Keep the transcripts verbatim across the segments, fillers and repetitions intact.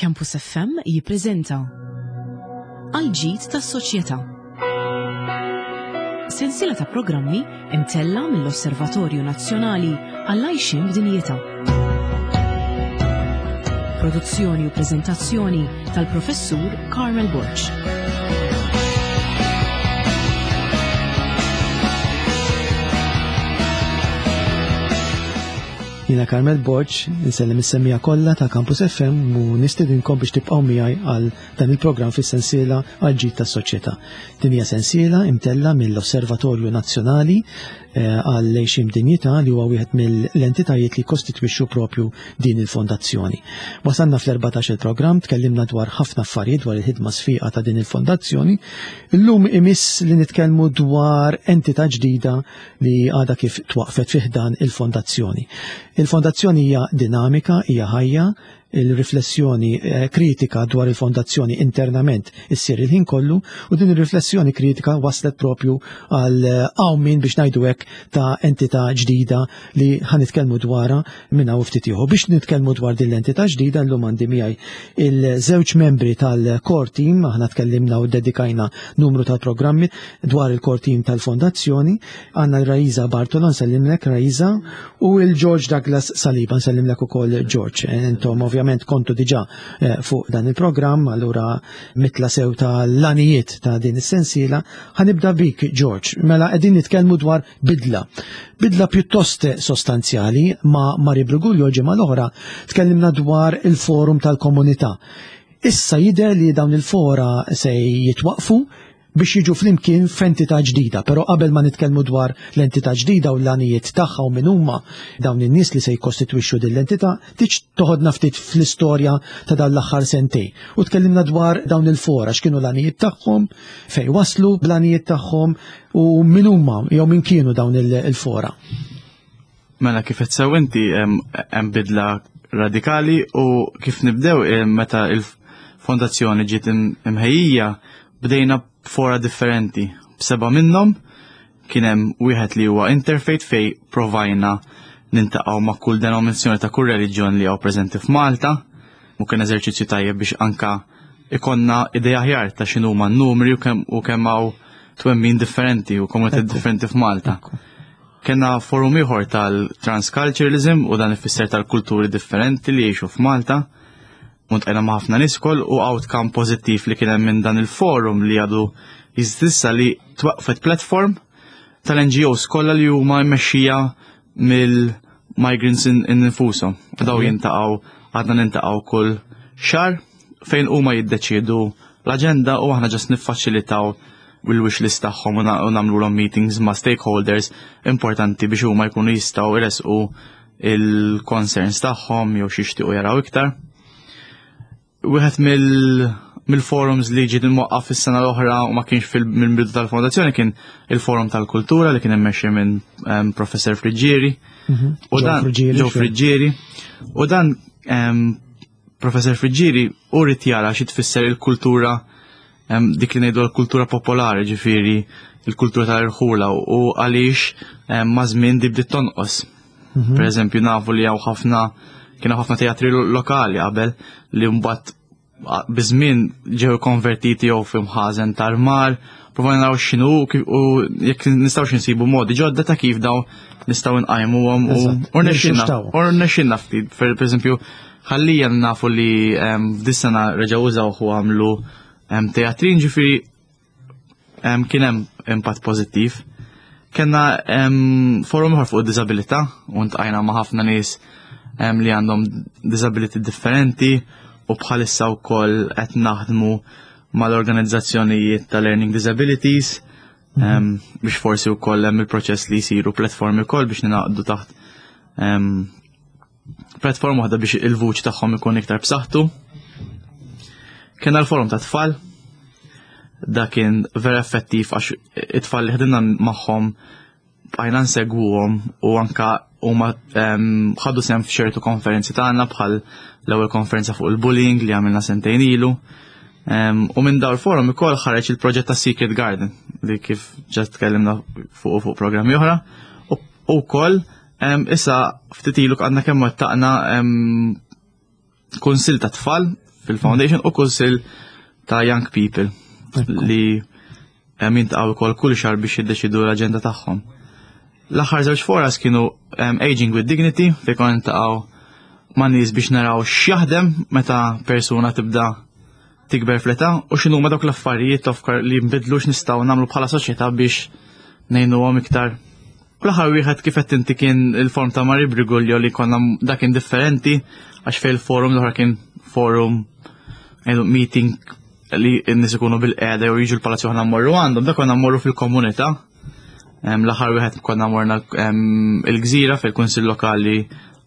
Campus F M jippreżenta Għal-ġid tas-soċjetà. Sensiela ta' programmi imtella mill-Osservatorju Nazzjonali għall-Għajxien b'Dinjità. Produzzjoni u preżentazzjoni tal-Professur Carmel Borg. Jiena Carmel Borg, insellem is-semmiegħa kollha ta' Campus F M u nistedinkom biex tibqgħu miegħi għal dan il-programm fis-sensiela għal ġid tas-soċjetà. Din hija sensiela imtella mill-Osservatorju Nazzjonali eh, għal Għajxien Dinjità, li huwa wieħed mill-entitajiet li kostitwixxu propju din il-fondazzjoni. Wasalna fl-erbatax il-programm, tkellimna dwar ħafna affarijiet dwar il-ħidma sfiqa ta' din il-fondazzjoni. Illum imiss li nitkellmu dwar entità ġdida li għadha kif twaqfet fi ħdan il-fondazzjoni. Il-fondazzjoni hija dinamika, hija ħajja, il-riflessjoni eh, kritika dwar il-fondazzjoni internament issir il-ħin kollu u din il-riflessjoni kritika waslet propju għal eh, qawmien, biex ngħidu hekk, ta' entità ġdida li ħa nitkellmu dwarha minn hawn ftit ieħor. Biex nitkellmu dwar din l-entità ġdida, llum għandi miegħi il-żewġ membri tal-core team. Aħna tkellimna u dedikajna numru tal-programmi dwar il-core team tal-fondazzjoni. Għandna l-Raisa Bartolo, nsellimlek Raisa, u il-George Douglas Saliba, nsellimlek ukoll George. Intom ovvjament kontu diġà eh, fuq dan il-programm, allura mitla sew ta' l-għanijiet ta' din is-sensiela. Ħa nibda bik, George, mela qegħdin nitkellmu dwar bidla. Bidla pjuttost sostanzjali. Ma' Mari Briguglio ġimgħa l-oħra tkellimna dwar il-forum tal-komunità. Issa jidher li dawn il-fora se jitwaqfu biex jiġu flimkien f'entità ġdida, però qabel ma nitkellmu dwar l-entità ġdida u l-għanijiet tagħha u min huma dawn in-nies li se jikkostitwixxu din l-entità, tiġ toħodna ftit fl-istorja ta' dan l-aħħar sentej. U tkellimna dwar dawn il-fora, x'kienu l-għanijiet tagħhom, fejn waslu bl-għanijiet tagħhom u min huma jew min kienu dawn il-fora. Mela, kif qed sew inti, hemm bidla radikali u kif nibdew, meta il-fondazzjoni ġiet imħejjija bdejna fora differenti. B'seba' minnhom kien hemm wieħed li huwa interfaith, fej provajna niltaqgħu ma' kull denominazzjoni ta' kull reliġjon li hawn preżenti f'Malta, u kien eżerċizzju tajjeb biex anka ikonna idea aħjar ta' x'inhuma n-numri u kemm u kemm hawn twemmin differenti u komunità differenti f'Malta. Kenna forum ieħor tal-transculturalism, u dan ifisser tal-kulturi differenti li jgħixu f'Malta. U ltqajna ma' ħafna nies ukoll, u outcome pożittiv li kien hemm minn dan il-forum li għadu jeżisti li twaqfet platform tal-N G Os kollha li huma mmexxija mill-migrants infushom. Daw jiltaqgħu, għadna niltaqgħu kull xahar, fejn huma jiddeċiedu l-aġenda u aħna just niffaċilitaw il-wish list tagħhom u nagħmluhom meetings ma' stakeholders importanti biex huma jkunu jistgħu jresqu il-concerns tagħhom jew xi jixtiequ jaraw iktar. Wieħed mill-forums li ġiet imwaqqaf fis-sena l-oħra u ma kienx mill-bidu tal-fondazzjoni kien il-forum tal-kultura li kien immexxi minn Professor Friggieri. Mhm. U dan Joe Friggieri. U dan Professor Friggieri u ried jara xi tfisser il-kultura, dik li ngħidu l-kultura popolari, ġifieri il-kultura tal-irħula, u għaliex ma' żmien di bdiet tonqos. Mhm. Per eżempju, nafu li hawn ħafna kienu ħafna teatri lokali qabel li mbagħad biż-żmien ġew konvertiti jew f'imħażen tal-mar, provajna naraw x'inhu u jekk nistgħux insibu modi ġodda ta' kif daw nistgħu nqajmuhom u rnexxinna u rnexxinna ftit. Per eżempju, ħallija nafu li f'dis-sena reġgħu użaw u għamlu teatrin, ġifieri kien hemm impatt pożittiv. Kenna forum ieħor fuq id-diżabilità u ltqajna ma' ħafna nies li għandhom disability differenti, u bħalissa wkoll qed naħdmu mal-organizzazzjonijiet ta' learning disabilities mhm. biex forsi wkoll hemm il-proċess li jsiru platformi wkoll biex ninaqdu taħt platform waħda biex il-vuċi tagħhom ikun iktar b'saħħtu. Kien l-forum ta' tfal, da kien vera effettiv għax it-tfal li ħdimna magħhom bqajna nsegwuhom u anka huma ħadu sehem f'ċertu konferenzi tagħna, bħal l-ewwel konferenza fuq il-bullying li għamilna sentejn ilu. U minn dawn il-forum ukoll ħareġ il-proġett ta' Secret Garden li kif ġa tkellimna fuq fuq programmi oħra. U wkoll issa ftit ilu għandna kemm wettaqna kunsill ta' tfal. fil-foundation u kunsill ta' young people li jiltaqgħu wkoll kull xahar biex jiddeċidu l-aġenda tagħhom. L-aħħar żewġ foras kienu um, Aging with Dignity, fejn konna niltaqgħu ma' nies biex naraw x'jaħdem meta persuna tibda tikber fl-età u x'inhu ma dawk l-affarijiet tofkar li nbidlu, x'nistgħu nagħmlu bħala soċjetà biex ngħinuhom iktar. U l-aħħar wieħed, kif qed inti, kien il-forum ta' Marie Briguglio, li konna dak kien differenti għax fejn il-forum l-oħra kien forum, ngħidu, meeting li n-nies ikunu bil-qeda jew jiġu l-palazzu, aħna mmorru għandhom, dak konna mmorru fil-komunità. Em, L-aħħar wieħed konna morna em, il-Gżira fil-Kunsill Lokali,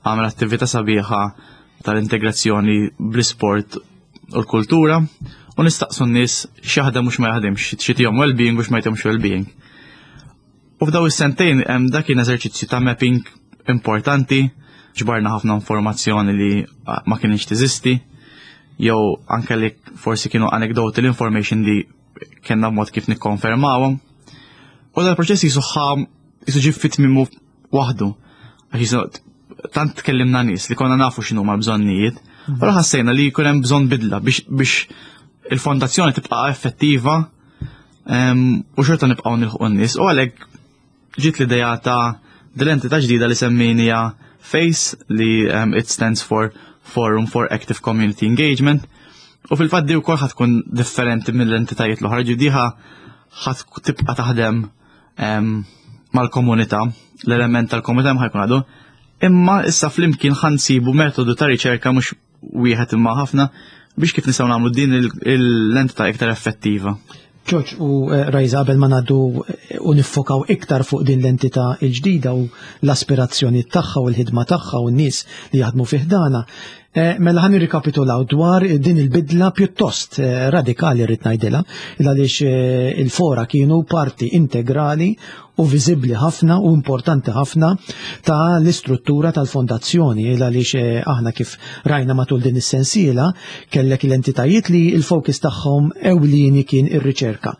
għamel attività sabiħa tal-integrazzjoni bl-isport u l-kultura u nistaqsu n-nies x'jaħdem u x'ma jaħdemx, x'jtihom well-being u x'ma jtihomx well-being. U f'daw is-sentejn hemm dak kien eżerċizzju ta' mapping importanti, ġbarna ħafna informazzjoni li ah, ma kienx teżisti, jew anke li forsi kienu anecdotal information li kellna mod kif nikkonfermawhom. U dal-proċess jisuħħa jisu ġie fi tmiemu waħdu. Għax jisu tant tkellimna nies li konna nafu x'inhu ma bżonnijiet, u ħassejna li jkun hemm bżonn bidla biex, biex il-fondazzjoni tibqa' effettiva em, u xorta nibqgħu nilħqu n-nies. U għalhekk ġiet l-idea ta' dil-entità ġdida li semmejnija FACE, li um, it stands for Forum for Active Community Engagement. U fil-fatt di wkoll ħa tkun differenti mill-entitajiet l-oħra, ġidiħa ħa tibqa' taħdem em, mal-komunità, l-element tal-komunità ħa jkun għadu. Imma issa flimkien ħa nsibu metodu ta' riċerka, mhux wieħed imma ħafna, biex kif nistgħu nagħmlu din il- l-entità iktar effettiva. Ġorġ u eh, Rajza, qabel ma ngħaddu eh, u niffokaw iktar fuq din l-entità il-ġdida u l-aspirazzjoni tagħha u l-ħidma tagħha u n-nies li jaħdmu fi ħdanha. Eh, Mela ħa nirrikapitulaw dwar din il-bidla pjuttost eh, radikali, rrid ngħidilha, għaliex eh, il-fora kienu parti integrali u viżibbli ħafna u importanti ħafna ta' l-istruttura tal-fondazzjoni, għaliex eh, aħna kif rajna matul din is-sensiela kellek l-entitajiet li il-fokus tagħhom ewlieni kien ir-riċerka.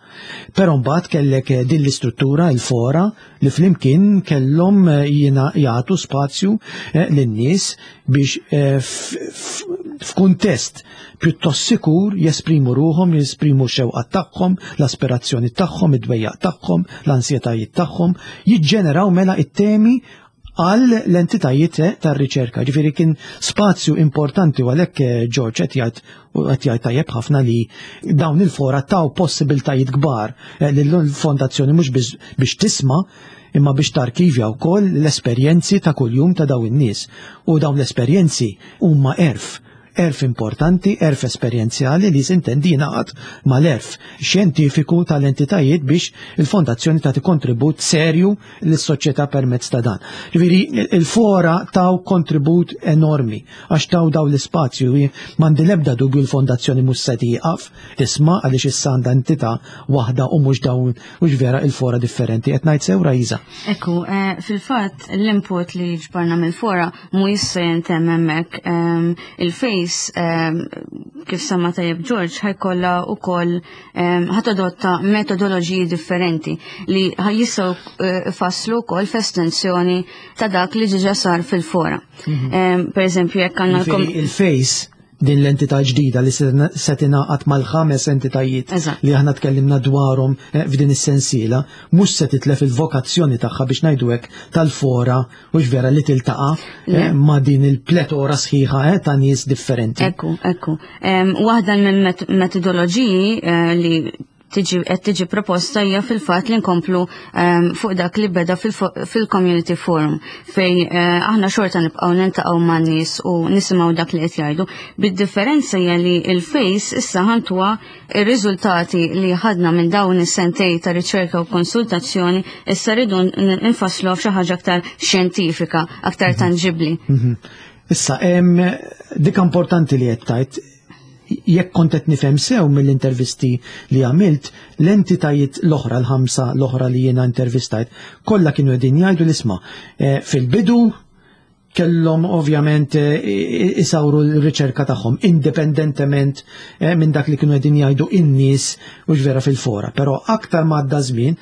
Però mbagħad kellek eh, din l-istruttura, il-fora, li flimkien kellhom eh, jiena jagħtu spazju eh, lin-nies biex eh, f- f- f'kuntest pjuttost sikur jesprimu ruħhom, jesprimu xewqat tagħhom, l-aspirazzjoni tagħhom, id-dwejjaq tagħhom, l-ansjetajiet tagħhom, jiġġeneraw mela it-temi għal l-entitajiet eh, tar-riċerka. Ġifieri kien spazju importanti u għalhekk eh, George qed jgħid u qed jgħid tajjeb ħafna li dawn il-fora taw possibiltajiet kbar eh, lill-fondazzjoni mhux biss biex tisma' imma biex tarkivja wkoll l-esperjenzi ta' kuljum ta' dawn in-nies. U dawn l-esperjenzi huma għerf, għerf importanti, għerf esperjenzjali li sintendi jingħaqad mal-għerf xjentifiku tal-entitajiet biex il-fondazzjoni tagħti kontribut serju lis-soċjetà permezz ta' dan. Ġifieri il-fora taw kontribut enormi għax taw daw l-ispazju. M'għandi l-ebda dubju l-fondazzjoni mhux se tieqaf tisma' għaliex issa għandha entità waħda u mhux dawn, mhux vera, il-fora differenti. Qed ngħid sew, Rajza? Ekku, eh, fil-fatt l-input li ġbarna mill-fora mu jista' jintemm hemmhekk. Ehm, Il-FACE, ehm, kif semma tajjeb George, ħa jkollha wkoll ehm, ħa tadotta metodoloġiji differenti li jistgħu eh, ifasslu wkoll f'estensjoni ta' dak li ġiġa sar fil-fora. Ehm, Per eżempju, jekk għandna l-kom- Ġifieri il-FACE, din l-entità ġdida li se se tingħaqad mal-ħames entitajiet Eżatt. li aħna tkellimna dwarhom eh, f'din is-sensiela, mhux se titlef il-vokazzjoni tagħha, biex ngħidu hekk, tal-fora u vera li tiltaqa' eh, Le. ma' din il-pletora sħiħa eh, ta' nies differenti. Ekku, ekku. Em, Waħda minn met- metodoloġiji eh, li tiġi qed tiġi proposta hija fil-fatt li nkomplu em, fuq dak li beda fil-fo- fil-community forum, fej eh, aħna xorta nibqgħu niltaqgħu man-nies u nisimgħu dak li qed jgħidu. Bid-differenza hija li il-FACE issa ħa ntuha ir-riżultati li ħadna minn dawn is-sentej ta' riċerka u konsultazzjoni, issa rridu n- nfasslu f'xi ħaġa aktar xjentifika, aktar tanġibbli. Mhm. Issa, em, dik importanti li qed tajt, jekk kont qed nifhem sew mill-intervisti li għamilt, l-entitajiet l-oħra, l-ħamsa l-oħra li jiena intervistajt, kollha kienu qegħdin jgħidu l-isma' eh, fil-bidu kellhom ovvjament eh, isawru l-riċerka tagħhom indipendentement eh, minn dak li kienu qegħdin jgħidu in-nies u vera fil-fora. Però aktar ma għadda żmien,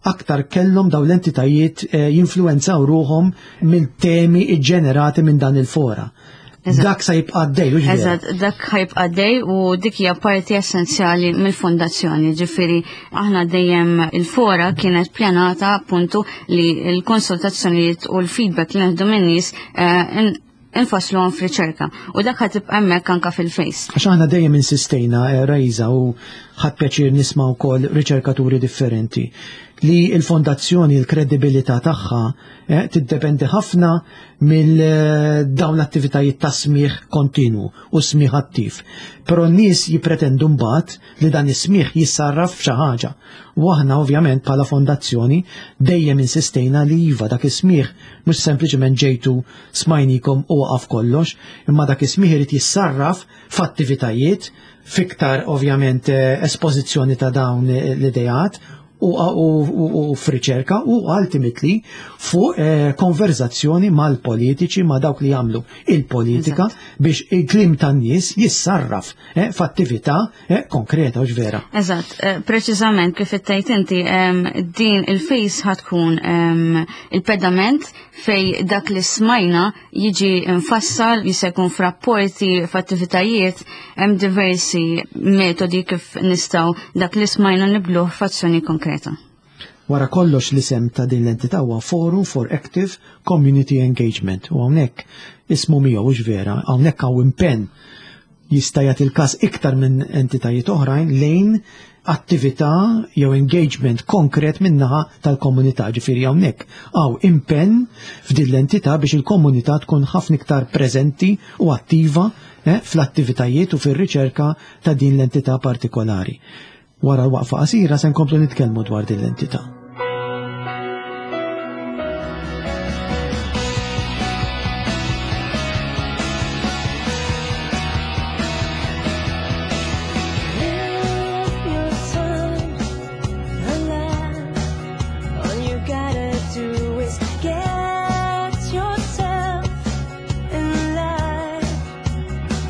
aktar kellhom daw l-entitajiet eh, jinfluwenzaw ruħhom mill-temi ġenerati minn dan il-fora. Dak sa jibqa' għaddej, u Eżatt, dak ħajibqa' għaddej u dik hija parti essenzjali mill-fondazzjoni. Ġifieri aħna dejjem il-fora kienet pjanata appuntu li l-konsultazzjonijiet u l-feedback li neħdu min-nies eh, infaslu għan f'riċerka. U dak ħatibqa' hemmhekk anka fil-face. Għax aħna dejjem insistejna, eh, Rajza, u ħadd pjaċir nisma' wkoll riċerkaturi differenti li l-fondazzjoni, l-kredibilità tagħha eh, tiddependi ħafna mill eh, dawn l-attivitajiet ta' smigħ kontinu u smigħ attiv. Però n-nies jippretendu mbagħad li dan is-smigħ jissarraf f'xi ħaġa. U aħna ovvjament bħala fondazzjoni dejjem insistejna li iva dak is-smigħ mhux sempliċement ġejtu smajnikom u waqaf kollox, imma dak is-smigħ irid jissarraf f'attivitajiet fiktar ovvjament eh, espożizzjoni ta' dawn l-idejat u, u, u, u f'riċerka u ultimately fuq eh, konverzazzjoni mal-politiċi ma' dawk li jagħmlu il-politika biex il-kliem tan-nies jissarraf eh, f'attività eh, konkreta u vera. Eżatt, eh, preċiżament kif ittajt inti, em, din il-face ħatkun em, il-pedament fej dak li smajna jiġi mfassal, jista' jkun f'rapporti, f'attivitajiet, hemm diversi metodi kif nistgħu dak li smajna nibluh f'azzjoni konkreta. Wara kollox l-isem ta' din l-entità huwa Forum for Active Community Engagement u hawnhekk ismu miegħu hux vera, hawnhekk hawn impenn jista' jagħti il-każ iktar minn entitajiet oħrajn lejn attività jew engagement konkret min-naħa tal-komunità. Ġifieri hawnhekk hawn impenn f'din l-entità biex il-komunità tkun ħafna iktar preżenti u attiva eh, fl-attivitajiet u fir-riċerka ta' din l-entità partikolari. Wara l-waqfa qasira se nkomplu nitkellmu dwar din l-entità. Live your time alive. All you gotta do is get yourself in line.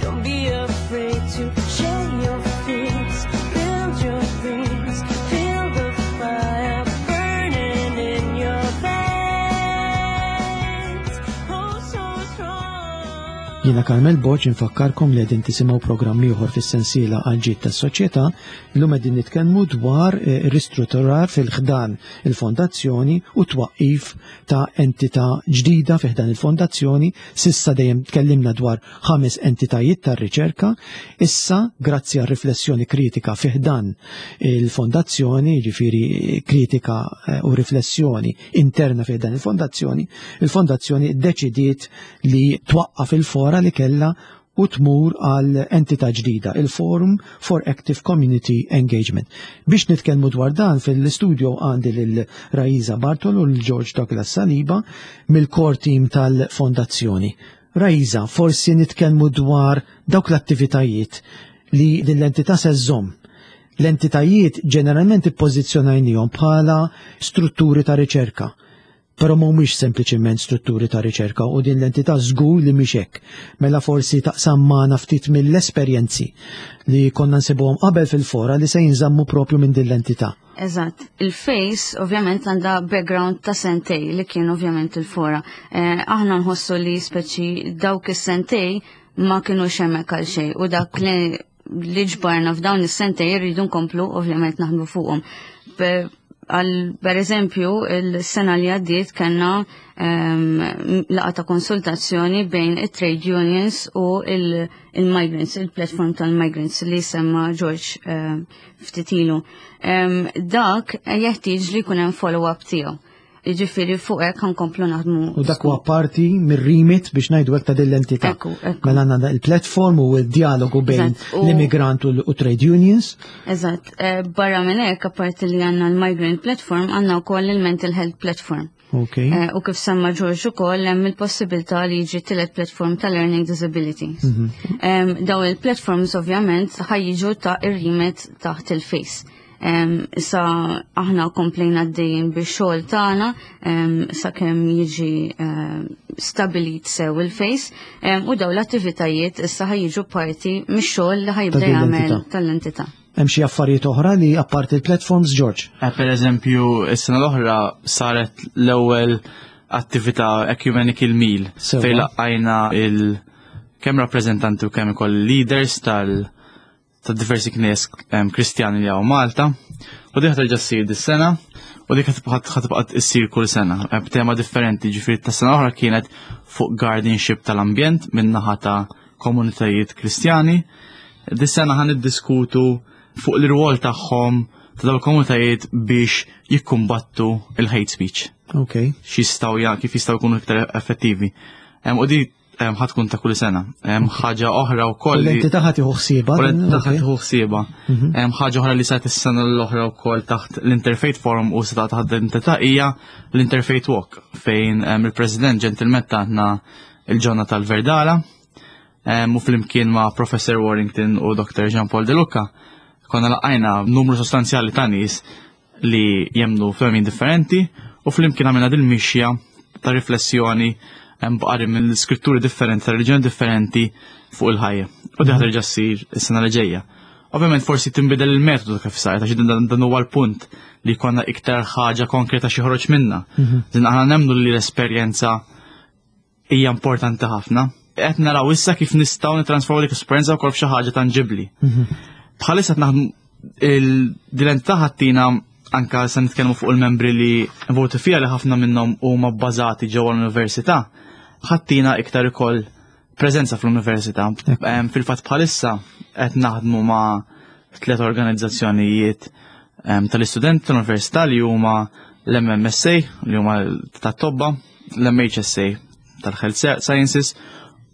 Don't be afraid to share your fears, build your dreams, feel the fire burning in your veins. Oh, so strong. Jiena Carmel Borg infakkarkom li qegħdin tisimgħu programm ieħor fis-sensiela għal ġid tas-soċjetà. Illum qegħdin nitkellmu dwar eh, ristrutturar fil-ħdan il-fondazzjoni u twaqqif ta' entità ġdida fi ħdan il-fondazzjoni. Sissa dejjem tkellimna dwar ħames entitajiet tar-riċerka. Issa, grazzi għal riflessjoni kritika fi ħdan il-fondazzjoni, jiġifieri kritika eh, u riflessjoni interna fi ħdan il-fondazzjoni, il-fondazzjoni ddeċidiet li twaqqaf il-fora li kella u tmur għal entità ġdida, il-Forum for Active Community Engagement. Biex nitkellmu dwar dan fil-studio għandi lil Raiza Bartolo u l-George Douglas Saliba mill-core team tal-fondazzjoni. Raiza, forsi nitkellmu dwar dawk l-attivitajiet li din l-entità se żżomm. L-entitajiet ġeneralment ippożizzjonajnihom bħala strutturi ta' riċerka, però mhumiex sempliċement strutturi ta' riċerka u din l-entità żgur li mhix hekk. Mela forsi taqsam magħna ftit mill-esperjenzi li konna nsibuhom qabel fil-fora li se jinżammu propju minn din l-entità. Eżatt. Il-face ovvjament għandha background ta' sentej li kien ovvjament il-fora. Eh, aħna nħossu li speċi dawk is-sentej ma kienu hemmhekk għal xejn u dak li li ġbarna f'dawn is-sentej rridu nkomplu ovvjament naħdmu fuqhom. Pe- Għal, per eżempju, il-sena li għaddiet kellna um, laqgħa ta' konsultazzjoni bejn it-trade unions u il- il-migrants, il-platform tal-migrants li semma George um, ftit ilu. Um, dak jeħtieġ li jkun hemm follow-up tiegħu. Jiġifieri fuq hekk ħankomplu naħdmu. U dak huwa parti mir-remit biex ngħidu hekk ta' din l-entità. Ekku, ekku. Mela għandna il-platform u d-dialogu bejn Eżatt, u- l-immigrant u l- u trade unions. Eżatt, eh, barra minn hekk apparti li għandna l-migrant platform, għandna wkoll il-mental health platform. Ok. Eh, U kif semma George ukoll hemm il-possibilità li jiġi tielet platform ta' learning disabilities. Em, Daw il-platforms ovvjament ħajjiġu ta' ir-remit taħt il-face. Em, Issa aħna komplejna għaddejjin bix-xogħol tagħna em, sakemm jiġi em, stabilit sew il-face em, u daw l-attivitajiet issa ħajjiġu parti mix-xogħol li ħajibda Ta' din jagħmel l-entità. tal-entità. Hemm xi affarijiet oħra li apparti il-platforms, George? Eh, Per eżempju, is-sena l-oħra saret l-ewwel attività Ecumenical Meal Sewa. fejn laqajna kemm rappreżentanti u kemm ukoll leaders tal ta' diversi knies Kristjani li hawn Malta. U dik terġa' ssir dis-sena u dik ħa tibqa' issir kull sena b'tema differenti. Ġifieri ta' sena oħra kienet fuq guardianship tal-ambjent minn naħa ta' komunitajiet Kristjani. Dis-sena ħa niddiskutu fuq l-irwol tagħhom ta' dawn komunitajiet biex jikkumbattu il-hate speech. Ok. X'jistgħu ja kif jistgħu jkunu iktar effettivi. U di ħa tkun ta' kull sena. Ħaġa oħra wkoll. L-entità ħa tieħu ħsiebha. U l-entità ħa tieħu ħsiebha. Mhm. Ħaġa oħra li saret is-sena l-oħra wkoll taħt l-Interfaith Forum u seta taħt l-entità hija l-Interfaith Walk, fejn il-President ġentilment tatna il-ġonna tal-Verdala u flimkien ma' Professor Warrington u Doctor Jean Paul De Luca konna laqajna numru sostanzjali ta' nies li jemmnu f'twemmin differenti u flimkien għamilna dil-mixja ta' riflessjoni b'qari minn skritturi differenti, ta' reliġjoni differenti fuq il-ħajja. U di ħa terġa' ssir is-sena li ġejja. Ovvjament forsi tinbidel il-metodu kif saret, għax dan huwa l-punt li konna iktar ħaġa konkreta xi ħroġ minna. Mhm. Din aħna nemmnu li l-esperjenza hija importanti ħafna. Qed naraw issa kif nistgħu nittransformaw dik l-esperjenza wkoll f'xi ħaġa tanġibbli. Mhm. Bħalissa qed naħdmu l-entità ħa ttina, anka se nitkellmu fuq il-membri li voti fija li ħafna minnhom huma bbażati ġewwa l-università, ħa ttina iktar ukoll preżenza fl-università. Fil-fatt bħalissa qed naħdmu ma' tliet organizzazzjonijiet tal-istudenti tal-università li huma l-M M S A li huma tat-tobba, l-M H S A tal-Health Sciences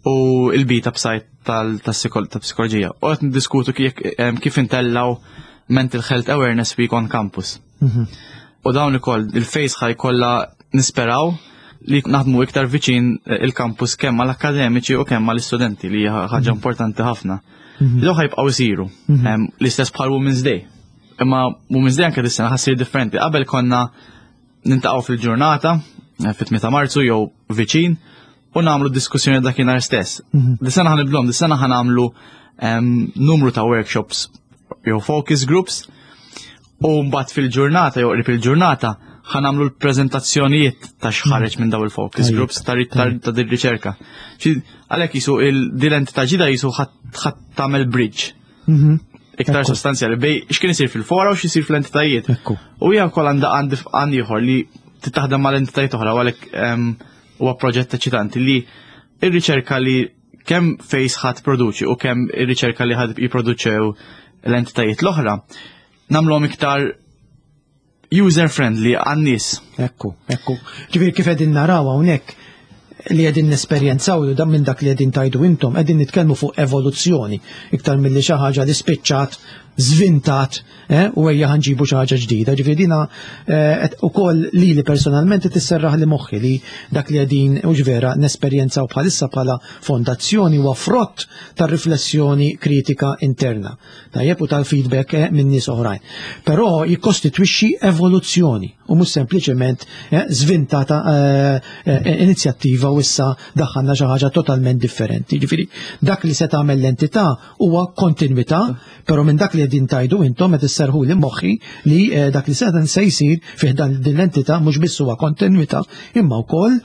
u il-Beta Psi tal-psikoloġija. U qed niddiskutu kif intellaw Mental Health Awareness Week on campus. Mhm. U dawn ukoll il-FACE ħa jkollha, nisperaw li naħdmu iktar viċin il-campus kemm mal-akademiċi u kemm mal-istudenti, li hija ħaġa mhm. importanti ħafna. Mhm. Dawn ħa jibqgħu jsiru. L-istess bħal Women's Day. Imma Women's Day anke dis-sena ħa ssir differenti. Qabel konna niltaqgħu fil-ġurnata, eh, fit-tmienja ta' Marzu jew viċin, u nagħmlu diskussjoni dakinhar stess. Dis-sena ħa nibdluhom, dis-sena ħa nagħmlu numru ta' workshops jew focus groups u mbagħad fil-ġurnata jew qrib il-ġurnata ħa nagħmlu l-preżentazzjonijiet ta' x'ħareġ minn daw il-focus groups ta' ta' din riċerka. Għalhekk jisu il-entità ġdida jisu ħa tagħmel bridge mhm. iktar sostanzjali bejn x'kien isir fil-fora u x'isir fl-entitajiet. U hija wkoll għandha għand ieħor li titaħdem mal-entitajiet oħra, u għalhekk huwa proġett eċitanti li ir-riċerka li kemm FACE ħa tipproduċi u kemm ir-riċerka li ħa jipproduċew l-entitajiet l-oħra nagħmluhom iktar user friendly għan-nies. Ekku, ekku. Ġifieri kif qegħdin naraw hawnhekk li qegħdin nesperjenzaw dan minn dak li qegħdin tgħidu intom, qegħdin nitkellmu fuq evoluzzjoni iktar milli xi ħaġa li spiċċat żvintat eh, u ejja ħa nġibu xi ħaġa ġdida. Ġifieri dina eh, ukoll li li personalment tisserraħ li moħħi li dak li qegħdin u vera nesperjenzaw bħalissa bħala fondazzjoni huwa frott tar-riflessjoni kritika interna. Tajjeb, u tal-feedback eh, minn nies oħrajn. Però jikkostitwixxi evoluzzjoni u mhux sempliċement żvintata inizjattiva u issa daħħalna xi ħaġa totalment differenti. Ġifieri dak li se tagħmel l-entità huwa kontinwità, però minn dak li qegħdin tgħidu intom qed isserħu li moħħi li eh, dak li se se jsir fih dan din l-entità mhux biss huwa kontinwità imma wkoll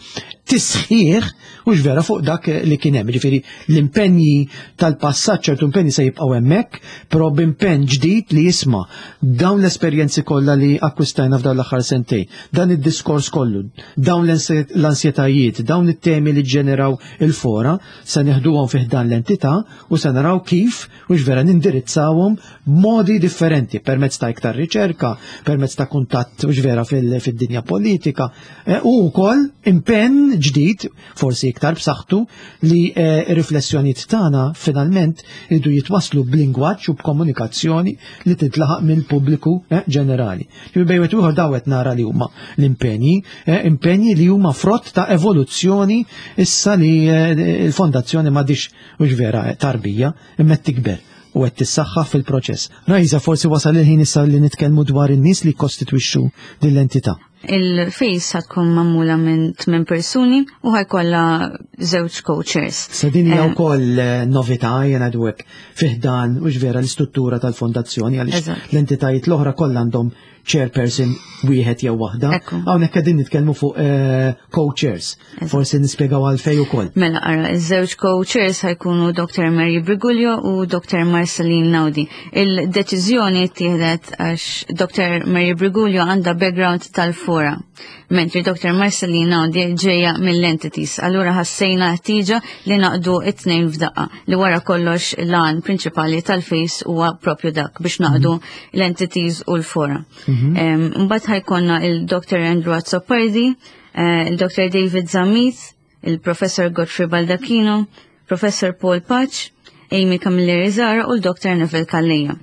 tisħiħ u vera fuq dak li kien hemm. Ġifieri l-impenji tal-passat, ċertu impenji se jibqgħu hemmhekk, però b'impenn ġdid li jisma' dawn l-esperjenzi kollha li akkwistajna f'dawn l-aħħar sentejn, dan id-diskors kollu, dawn l-ansjetajiet, dawn it-temi li ġeneraw il-fora, se neħduhom fih dan l-entità u se naraw kif u vera nindirizzawhom b'modi differenti permezz ta' iktar riċerka, permezz ta' kuntatt u vera fil-dinja politika eh, u wkoll impenn ġdid, forsi iktar b'saħħtu, li eh, riflessjonijiet tagħna finalment iridu jitwaslu b'lingwaġġ u b'komunikazzjoni li tintlaħaq mill-pubbliku eh, ġenerali. Bejn wieħed ieħor dawn qed nara li huma l-impenji, impenji li huma frott ta' evoluzzjoni issa li l-fondazzjoni m'għadhiex mhux vera tarbija imma tikber u qed tissaħħa fil-proċess. Rajza, forsi wasal il-ħin issa li nitkellmu dwar in-nies li kostitwixxu din l-entità. Il-FACE ħa tkun magħmula minn tmien persuni u ħa jkollha żewġ co-chairs. Sa din hija Eh, wkoll eh, novità jena dwek fi ħdan u vera l-istruttura tal-fondazzjoni għaliex Eżatt. l-entitajiet l-oħra kollha għandhom chairperson wieħed jew waħda. Ekku. Hawnhekk qegħdin nitkellmu fuq eh, co-chairs. Eżatt. Forsi nispjegaw għalfejn ukoll. Mela, ara, iż-żewġ co-chairs ħa jkunu Dr. Mary Briguglio u Dr. Marceline Naudi. Il-deċiżjoni ttieħdet għax Dr. Mary Briguglio għandha background tal-fora, mentri Dr. Marceline Naudi ġeja mill-entities. Allura ħassejna ħtieġa li naqdu it-tnejn f'daqqa, li wara kollox l-għan prinċipali tal-FACE huwa propju dak biex naqdu l-entities u l-fora. Em, Mbagħad ħa jkollna il-Dr. Andrew Azzopardi, eh, il-Dr. David Zammit, il-Professor Godfrey Baldacchino, Professor Paul Pace, Amy Camilleri Zara u l-Dr. Neville Calleja.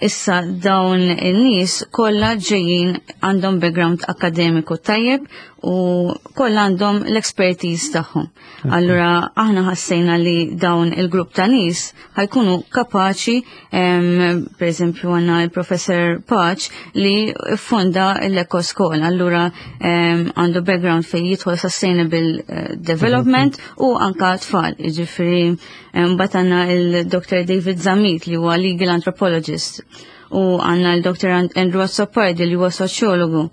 Issa dawn in-nies kollha ġejjin għandhom background akademiku tajjeb u kollha għandhom l-expertise tagħhom. Allura aħna ħassejna li dawn il-grupp ta' nies ħa jkunu kapaċi, em, per eżempju għandna il-Professor Pace li fonda l-Eco School, allura em, għandu background fejn jidħol sustainable eh, development u anka tfal, ġifieri mbagħad għandna il-Dr. David Zammit li huwa legal anthropologist u għandna l-Dr. Andrew Azzopardi li huwa soċjologu.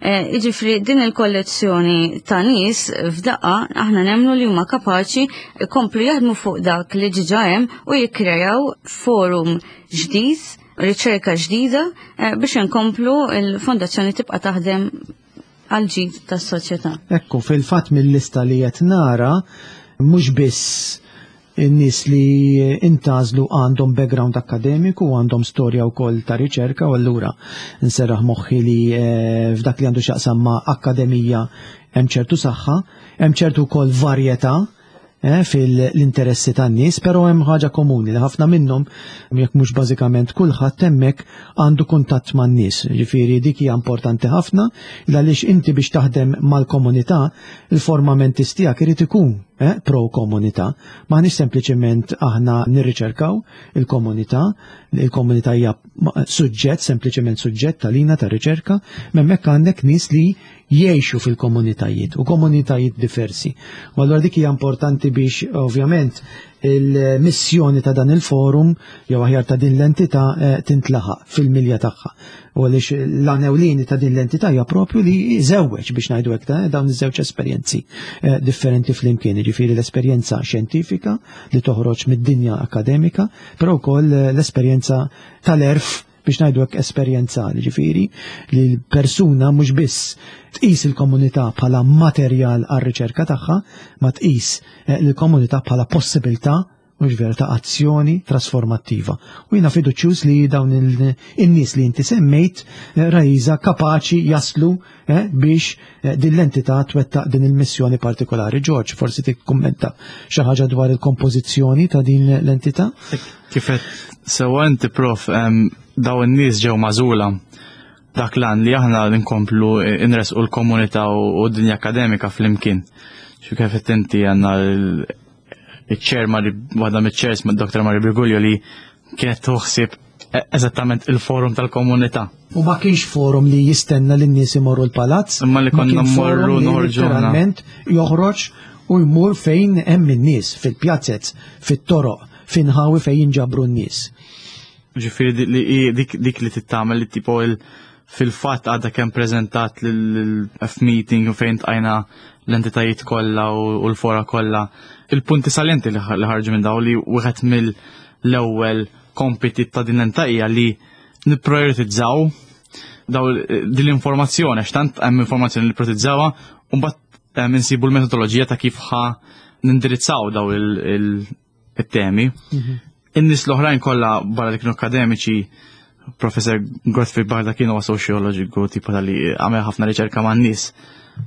Eh, Iġifieri din il-kollezzjoni ta' nies f'daqqa aħna nemmnu li huma kapaċi jkomplu jaħdmu fuq dak li diġà hemm u jikkrejaw forum ġdid, riċerka ġdida eh, biex inkomplu il-fondazzjoni tibqa' taħdem għal ġid tas-soċjetà. Ekku, fil-fatt mill-lista li qed nara mhux biss in-nies li intgħażlu għandhom background akademiku u għandhom storja wkoll ta' riċerka u allura nserraħ moħħi li eh, f'dak li għandu x'jaqsam ma' akkademija hemm ċertu saħħa, hemm ċertu wkoll varjetà eh, fil-interessi tan-nies, però hemm ħaġa komuni li ħafna minnhom jekk mhux bażikament kulħadd hemmhekk għandu kuntatt man-nies. Ġifieri dik hija importanti ħafna għaliex inti biex taħdem mal-komunità il-formament tiegħek irid ikun eh, pro-komunità. M'aħniex sempliċement aħna nirriċerkaw il-komunità, il-komunità hija suġġett, sempliċement suġġett tal-lina ta' riċerka, hemmhekk għandek nies li jgħixu fil-komunitajiet u komunitajiet diversi. U allura dik hija importanti biex ovvjament il-missjoni ta' dan il-forum jew aħjar ta' din l-entità eh, tintlaħaq fil-milja tagħha. U għaliex l-għan ewlieni ta' din l-entità hija propju li jżewweġ biex ngħidu hekk ta' dawn iż-żewġ esperjenzi eh, differenti flimkien, jiġifieri l-esperjenza xjentifika li toħroġ mid-dinja akademika, però wkoll eh, l-esperjenza tal-għerf biex ngħidu hekk esperjenzali, ġifieri li l-persuna mhux biss tqis il-komunità bħala materjal għar-riċerka tagħha, ma tqis eh, l-komunità bħala possibilità mhux vera ta' azzjoni trasformattiva. U jiena fiduċjuż li dawn il-nies li inti semmejt eh, Raisa kapaċi jaslu eh, biex eh, din l-entità twettaq din il-missjoni partikolari. George, forsi tikkummenta xi ħaġa dwar il-kompożizzjoni ta' din l-entità? Kif għedt sewwa inti prof, em, daw in-nies ġew magħżula dak l li aħna nkomplu inresqu l-komunità u u d-dinja akademika flimkien. Xi kif qed inti għandna l- il-chair Mari, waħda mill-chairs ma' Dr. Mari Briguglio li kienet taħseb e- eżattament il-forum tal-komunità. U ma kienx forum li jistenna li n-nies imorru l-palazz, Imma li ma konna kien forum mmorru li noħorġu aħna. literalment joħroġ u jmur fejn hemm in-nies, fil-pjazzez, fit-toroq, f'inħawi fejn jinġabru n-nies. Ġifieri di- li hi dik, dik li tittamel li tipo il fil-fatt għadha kemm prezentat l-F-meeting u fejn tajna l-entitajiet kollha u u l-fora kollha. Il-punti salienti li ħar- li ħarġu minn daw li wieħed mill-ewwel kompiti ta' din l-entità hija li nipprioritizzaw daw din l-informazzjoni, għax tant hemm informazzjoni li prioritizzawha u mbagħad hemm insibu l-metodoloġija ta' kif ħa nindirizzaw daw il- il- it-temi. In-nies l-oħrajn kollha barra li kienu akademiċi, Professor Godfrey Baldacchino huwa soċjoloġiku tipo tal-li għamel ħafna riċerka man nies.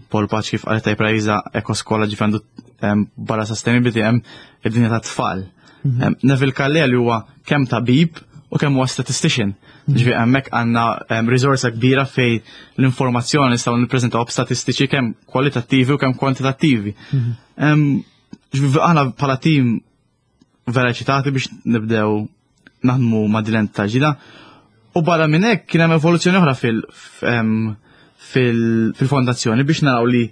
Paul Pace kif qalet tajjeb Raisa ekoskola ġifieri għandu em, barra sustainability hemm id-dinja ta' tfal. Em, Neville Calleja li huwa kemm tabib u kemm huwa statistician. Ġifieri hemmhekk għandna em, riżorsa kbira fej l-informazzjoni nistgħu nippreżentaw b'statistiċi kemm kwalitattivi u kemm kwantitattivi. Em, Ġifieri aħna bħala team vera eċitati biex nibdew naħdmu ma' din l-entità ġdida. U barra minn hekk kien hemm evoluzzjoni oħra fil f- em, fil-fondazzjoni biex naraw li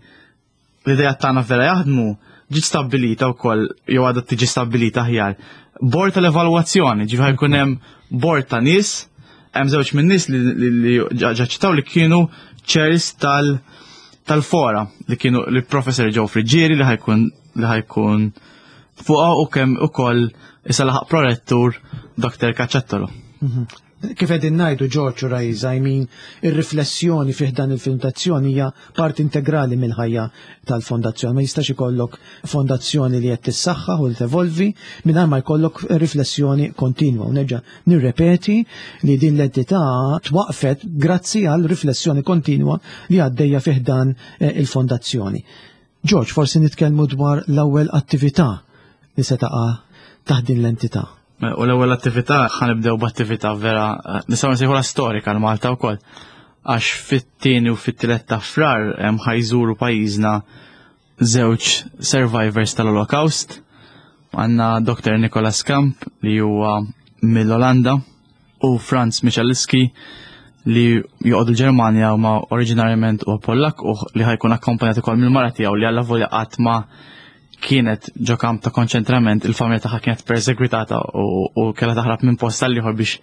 l-idea tagħna vera jaħdmu, ġiet stabbilita wkoll, jew għadha tiġi stabbilita aħjar, bord tal-evalwazzjoni. Ġifieri jkun hemm bord ta' nies, hemm żewġ minn nies li ġaċċettaw li kienu chairs tal tal-fora, li kienu li professor Joe Friggieri li ħa jkun li ħa jkun fuqha, u kemm ukoll issa laħaq prorettur Doktor Cacciattolo. Mhm. Kif qegħdin ngħidu, George u Rajza, I mean, ir-riflessjoni fih dan il-fondazzjoni hija parti integrali mill-ħajja tal-fondazzjoni. Ma jistax ikollok fondazzjoni li qed tissaħħaħ u li tevolvi mingħajr ma jkollok riflessjoni kontinwa. U nerġa' nirrepeti li din l-entità twaqfet grazzi għal riflessjoni kontinwa li għaddejja fih dan eh, il-fondazzjoni. George, forsi nitkellmu dwar l-ewwel attività li se taqa' taħt din l-entità. U l-ewwel attività, ħa nibdew b'attività vera eh, nistgħu nsejħulha storika għal Malta wkoll. Għax fit-tieni u fit-tielet ta' Frar hemm ħa jżuru pajjiżna żewġ survivors tal-Holocaust. Għandna Doktor Nicholas Kamp li huwa mill-Olanda u Franz Michalski li joqgħodu l-Ġermanja u ma oriġinarjament huwa Pollak, u li ħa jkun akkompanjat ukoll mill-mara tiegħu li alla volja qatt ma kienet ġo kamp ta' konċentrament, il-familja tagħha kienet persegwitata u, u kellha taħrab minn post għal ieħor biex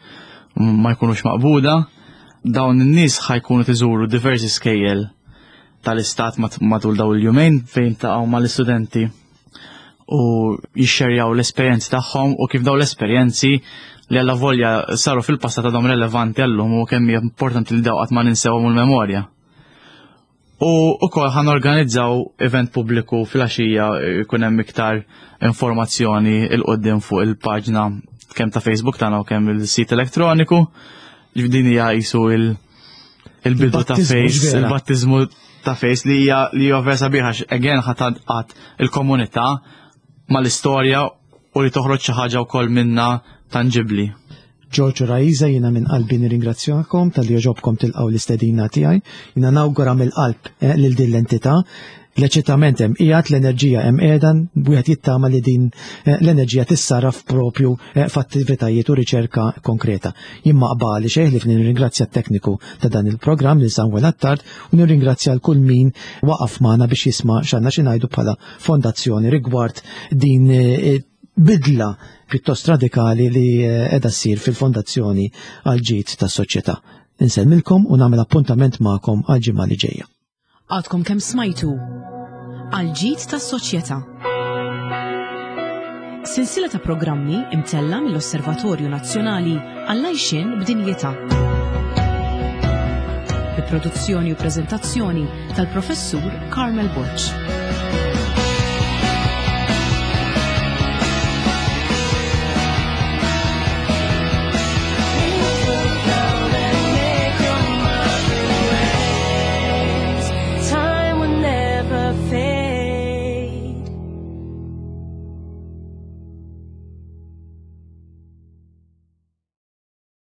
ma jkunux maqbuda. Dawn in-nies ħa jkunu iżuru diversi skejjel tal-istat mat- matul dawn il-jumejn fejn taqgħu mal-istudenti u jixxerjaw l-esperjenzi tagħhom u kif dawn l-esperjenzi li alla volja saru fil-passat għadhom relevanti għallum u kemm hija importanti li daw qatt ma ninsewhom il-memorja. U ukoll ħa norganizzaw event pubbliku fil-għaxija, jkun hemm iktar informazzjoni 'il quddiem fuq il-paġna kemm ta' Facebook tagħna u kemm il-sit elettroniku. Din hija qisu il- il-bidu ta' Il-battizmu, Face, vera. Il-battizmu ta' Face li hija li hija vera sabiħa għax again ħa tgħaqqad il-komunità mal-istorja u li toħroġ xi ħaġa wkoll minna tangibli. George u Raiza, jiena minn qalbi nirringrazzjakom talli għoġobkom tilqgħu l-istedina tiegħi. Jiena nawgura mill-qalb eh, lil din l-entità. L-eċitament hemm qiegħed, l-enerġija hemm qiegħda, wieħed jittama li din eh, l-enerġija tissarraf propju eh, f'attivitajiet u riċerka konkreta. Jien ma baqagħli xejn ħlief nirringrazzja t-tekniku ta' dan il-programm lil Samuel Attard u nirringrazzja l kull min waqaf magħna biex jisma' x'għandna xi ngħidu bħala fondazzjoni rigward din eh, bidla pjuttost radikali li qiegħda ssir fil-fondazzjoni għal ġid tas-soċjetà. Insellmilkom u nagħmel appuntament magħkom għal ġimgħa li ġejja. Għadkom kemm smajtu Għal ġid tas-soċjetà. Silsila ta' programmi imtella mill-Osservatorju Nazzjonali għall-Għajxien b'Dinjità. Bi produzzjoni u preżentazzjoni tal-Professur Carmel Borg.